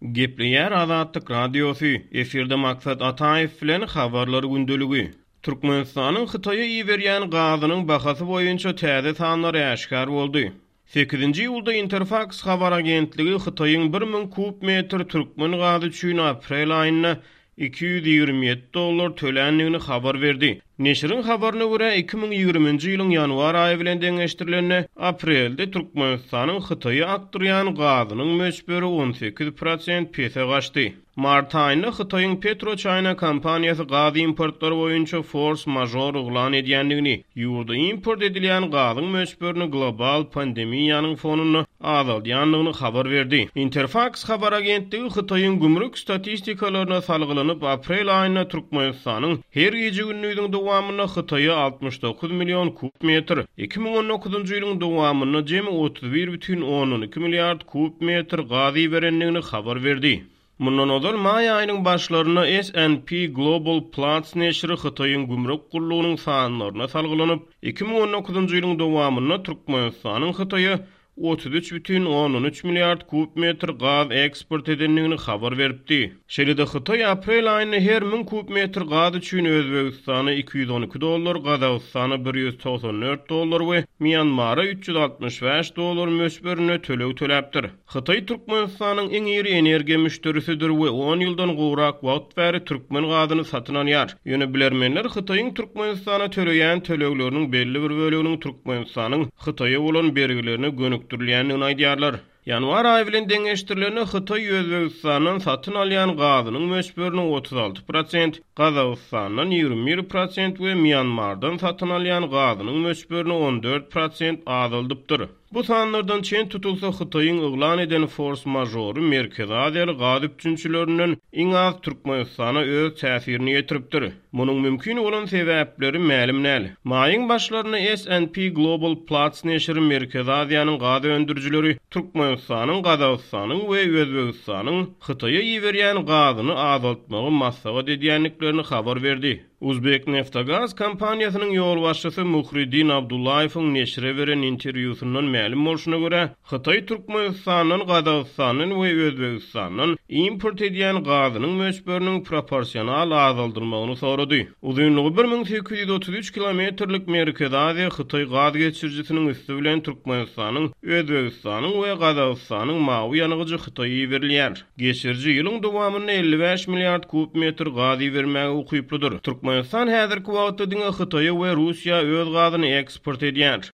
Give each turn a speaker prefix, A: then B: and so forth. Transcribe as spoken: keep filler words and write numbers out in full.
A: Gepleýär Azatlyk Radiosy, efirde Maksat Ataýew bilen Habarlar gündeligi. Türkmenistanyň Hytaýa iberýän gazynyň bahasy boýunça täze sanlar äşgär boldy. Sekizinji iýulda Interfaks habar agentligi Hytaýyň bir müň kub metr türkmen gazy üçin aprel aýynda iki ýüz ýigrimi ýedi dollar töländigini habar berdi. Neşiriň habaryna görä, iki müň ýigriminji ýylyň ýanwar aýy bilen deňeşdirilende, aprelde Türkmenistanyň Hytaýa akdyrýan gazynyň möçberi on sekiz prosent pese gaçdy. Mart aýynda Hytaýyň PetroChina kompaniýasy gaz importlary boýunça fors-mažor yglan edýändigini, ýurda import edilýän gazyň möçberini global pandemiýanyň fonunda azaldýandygyny habar berdi. Interfaks habar agentligi Hytaýyň gümrük statistikalaryna salgylanyp, aprel aýynda Türkmenistanyň her gije-gündiziň dowamynda Hytaýa altmyş dokuz million kub metr, iki müň on dokuzynjy ýylyň dowamynda jemi otuz bir bütin ondan iki milliard kub metr gaz iberendigini habar berdi. Mundan ozal maý aýynyň başlarynda S and P Global Platts neşiri Hytaýyň gümrük gullugynyň sanlaryna salgylanyp, iki müň on dokuzynjy ýylyň dowamynda Türkmenistanyň Hytaýa otuz üç bütin ondan üç milliard kub metr gaz eksport edendigini habar beripdi. Şeýle-de Hytaý aprel aýynda her müň kub metr gaz üçin Özbegistana iki ýüz on iki dollar, Gazagystana bir ýüz togsan dört dollar we Mýanmara üç ýüz altmyş bäş dollar möçberinde töleg töläpdir. Hytaý Türkmenistanyň iň iri energiýa müşderisidir we on ýyldan gowrak wagt bäri türkmen gazyny satyn alýar. Ýöne bilermenler Hytaýyň Türkmenistana töleýän tölegleriniň belli bir böleginiň Türkmenistanyň Hytaýa bolan bergilerine gönükdirilýändigini aýdýarlar. Ýanwar aýy bilen deňeşdirilende Hytaý Özbegistandan satyn alýan gazynyň möçberini otuz alty prosent, Gazagystandan ýigrimi bir prosent we Mýanmardan satyn alýan gazynyň möçberini on dört prosent azaldypdyr. Bu sanlardan çen tutulsa Hytaýyň yglan eden fors-mažory Merkezi Aziýaly gaz üpjünçilerinden iň az Türkmenistana öz täsirini ýetiripdir. Munuň mümkin bolan sebäpleri mälim däl. Maýyň başlarynda S and P Global Platts neşiri Merkezi Aziýanyň gaz öndürijileri Türkmenistanyň, Gazagystanyň we Özbegistanyň Hytaýa iberýän gazyny azaltmagy maslahat edýändiklerini habar berdi. Uzbek Neftogaz kompaniýasynyň ýolbaşçysy Muhriddin Abdullaýewiň neşire beren interwýusyndan mälim bolşuna görä, Hytaý Türkmenistandan, Gazagystandan we Özbegistandan import edýän gazynyň möçberiniň proporsional azaldylmagyny sorady. Uzynlygy bir müň sekiz ýüz otuz üç kilometrlik Merkezi Aziýa Hytaý gaz geçirijisiniň üsti bilen Türkmenistanyň, Özbegistanyň we Gazagystanyň mawy ýangyjy Hytaýa iberilýär. Geçiriji ýylyň dowamynda elli bäş milliard kub metr gaz ibermäge ukyplydyr. Türkmenistan häzirki wagtda diňe Hytaýa we Russiýa öz gazyny eksport edýär.